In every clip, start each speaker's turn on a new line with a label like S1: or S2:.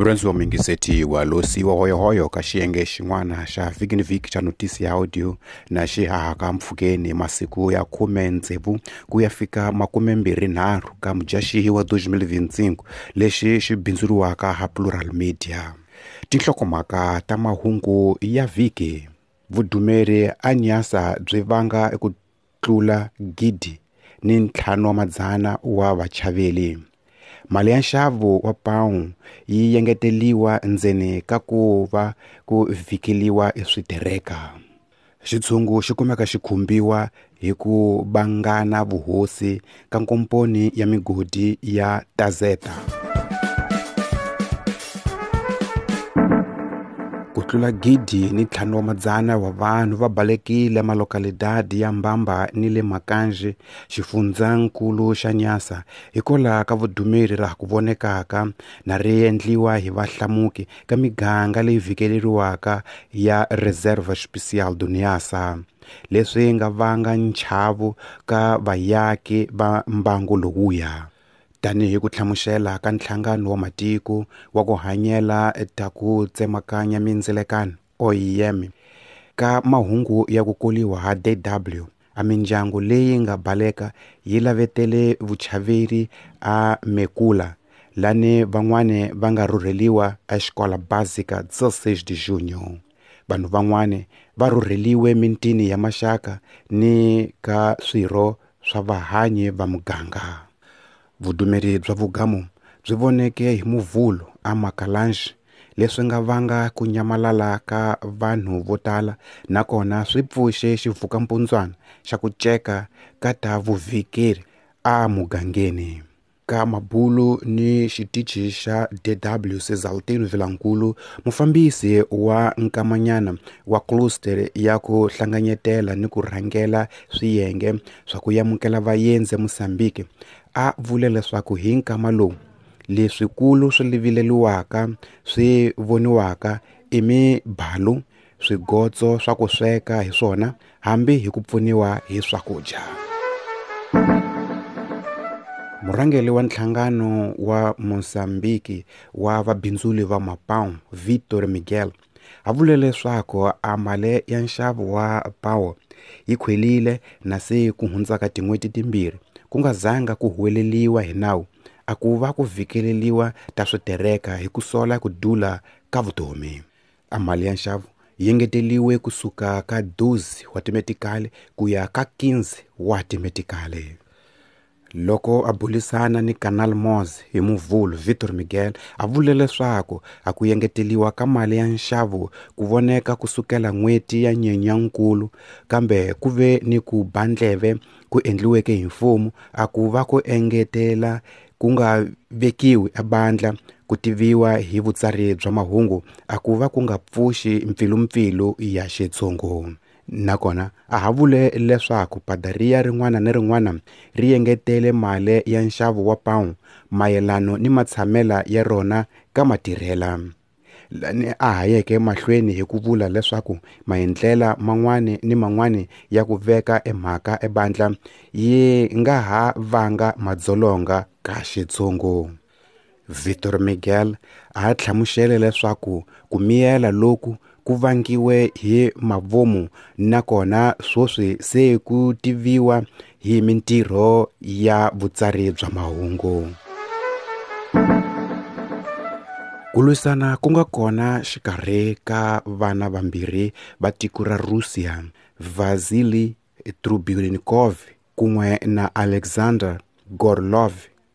S1: Murhandzi wa muyingiseti wa losiwa hoyohoyo ka xiyenge xin'wana xa vhiki ni vhiki xa notisi ya audio na xi hahaka mpfhukeni masiku ya 16 ku ya fika 23 ka mudyaxihi wa 2025 lexi xi bindzuriwaka ha Plural Media. Tinhlokomhaka ta mahungu ya vhiki. Vudumeri a Nyasa byi vanga ku tlula 1,500 wa vachaveli. Mali ya nxavo wa pão yi yengeteliwa ndzeni ka ku va ku vhikeliwa eswitereka. Xitshungu xi kumeka xi khumbiwa hi ku vangana vuhosi ka nkomponi ya migodi ya Tazeta. Ku tlula 1,500 wa vanhu va balekile malokalidadi ya Mbamba ni le Makanji, xifundzankulu xa Nyasa, hikwalaho ka vudumeri raha ku vonekaka na ri endliwa hi vahlamuki ka miganga leyi vhikeleriwaka ya Reserva Especial do Niassa, leswi nga vanga nchavo ka vayaki va mbangu lowuya. Tanihi ku hlamusela ka nhlangano wa matiko wa ku hanyela ta ku tsemakanya mindzilekano OIM ka mahungu ya ku koliwa ha DW, a mindyangu leyi nga baleka yi lavetele vuchaveri a Mekula, lani van'wani va nga rhurheliwa a Escola Básica 16 de Junho. Vanhu van'wani va rhurheliwe mitini ya maxaka ni ka swirho swa vahanyi va muganga. Vudumeri bya vugamu byi voneke hi Muvhulo a Makalanji, leswi nga vanga ku nyamalala ka vanhu vo tala nakona swi pfuxe xivukampundzwana xa ku ceka ka ta vuvhikeri a mugangeni. Ka mabulu ni xitichi xa DW Cesaltino Vilankulu, mufambisi wa nkamanyana wa cluster ya ku hlanganyetela ni ku rhangela swiyenge swa ku yamukela vaendzi eMozambique, a vule leswaku hi nkama lowu leswikulu swi vileliwaka swi voniwaka i mibalu, swigotso swa ku sweka hi swona hambi hi ku pfuniwa hi swakudya. Murhangeri wa nhlangano wa Mozambique wa vabindzuli va mapão Vitor Miguel a vule leswaku a mali ya nxavo wa pão yi khwelile na se ku hundzaka tin'hweti timbirhi ku nga zanga ku huweleliwa hi nawu a ku va ku vhikeleliwa ta switereka hi ku sola ku dula ka vutomi. A mali ya nxavo yi engeteliwe kusuka ka 12 wa timetikali ku ya ka 15 wa timetikali. Loko a bulisana ni Canal Moz hi Muvhulo, Vitor Miguel a vule leswaku a ku engeteliwa ka mali ya nxavo ku voneka kusukela n'hweti ya Nyenyankulu, kambe ku ve ni ku ba ndleve ku endliweke hi mfumo a ku va ku engetela ku nga vekiwi ebandla ku tiviwa hi vutsari bya mahungu a ku va ku nga pfuxi mpfilumpfilu ya xitshungu. Nakona a ha vule leswaku padaria rin'wana ni rin'wana ri engetele mali ya nxavo wa pão mayelano ni matshamela ya rona ka matirhela. Lani a hayeke mahlweni hi ku vula leswaku maendlela man'wani ni man'wani ya ku veka emhaka ebandla yi nga ha vanga madzolonga ka xitshungu. Vitor Miguel a hlamusele leswaku ku miyela loku ku vangiwe hi mavomu nakona sweswi se ku tiviwa hi mintirho ya vutsari bya mahungu. Ku lwisana ku nga kona xikarhi ka vana vambirhi va tiko ra Russia, Vasily Trubnikov kun'we na Alexander Gorlov,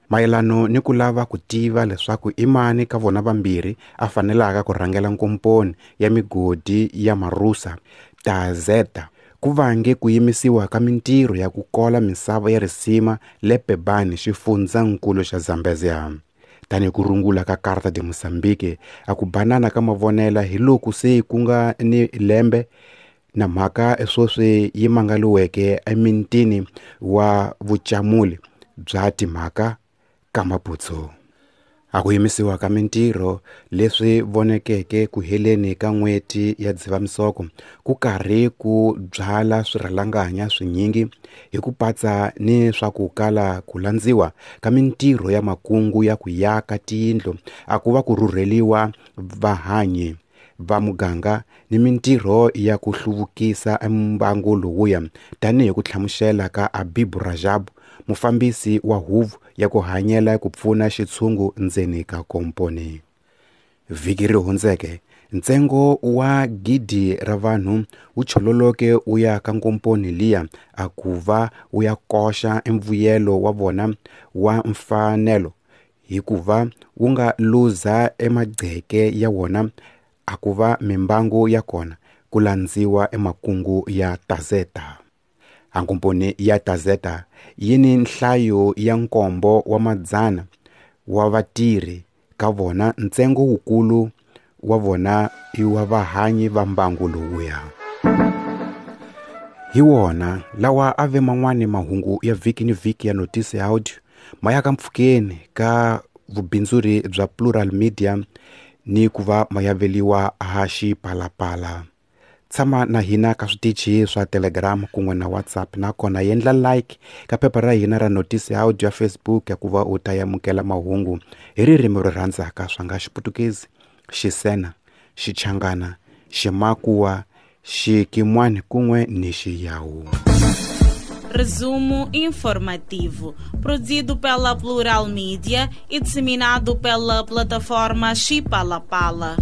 S1: mayelano ni ku lava ku tiva leswaku i mani ka vona vambirhi a fanelaka ku rhangela nkomponi ya migodi ya Marusa Tazeta, ku vange ku yimisiwa ka mintirho ya ku kola misava ya risima le Pebane, xifundzankulu xa Zambezia. Tanihi ku rungula ka Carta de Mozambique, a ku banana ka mavonela hi loku se ku nga ni lembe na mhaka sweswi yi mangaliweke emintini wa vucamuli bya timhaka ka Maputo. A ku yimisiwa ka mintirho leswi vonekeke ku heleni ka n'hweti ya Dzivamisoko ku karhi ku byala swirhalanganya swinyingi hi ku patsa ni swa ku kala ku landziwa ka mintirho ya makungu ya ku yaka tiyindlu a ku va ku rhurheliwa vahanyi va muganga ni mintirho ya ku hluvukisa mbangu lowuya, tanihi ku hlamusela ka Abibu Rajab, mufambisi wa huvo ya ku hanyela ku pfuna xitshungu ndzeni ka komponi. Vhiki ri hundzeke, ntsengo wa 1 000 ra vanhu wu chololoke wu ya ka nkomponi liya a ku va wu ya koxa emvuyelo wa vona wa mfanelo hikuva wu nga luza emagceke ya wona a ku va mimbangu ya kona ku landziwa emakungu ya Tazeta. Ankomponi ya Tazeta yi ni nhlayo ya 700 wa vatirhi ka vona, ntsengo wukulu wa vona i wa vahanyi va mbangu lowuya. Hi wona lawa a ve man'wani mahungu ya vhiki ni vhiki ya Notice Audio ma ya ka mpfhukeni ka vubindzuri bya Plural Media ni ku va ma yaveliwa ha Xipalapala. Tshama na hina ka switichi swa Telegram kun'we na WhatsApp, nakona yendla like ka phepha ra hina ra Notice Audio ya Facebook ya ku va u ta amukela mahungu hi ririmi ro rhandzaka swa nga Xiputukezi, Xisena, Xichangana, Ximakuwa, Xikimwani kun'we ni Xiyawu.
S2: Resumo informativo, produzido pela Plural Mídia e disseminado pela plataforma Xipalapala.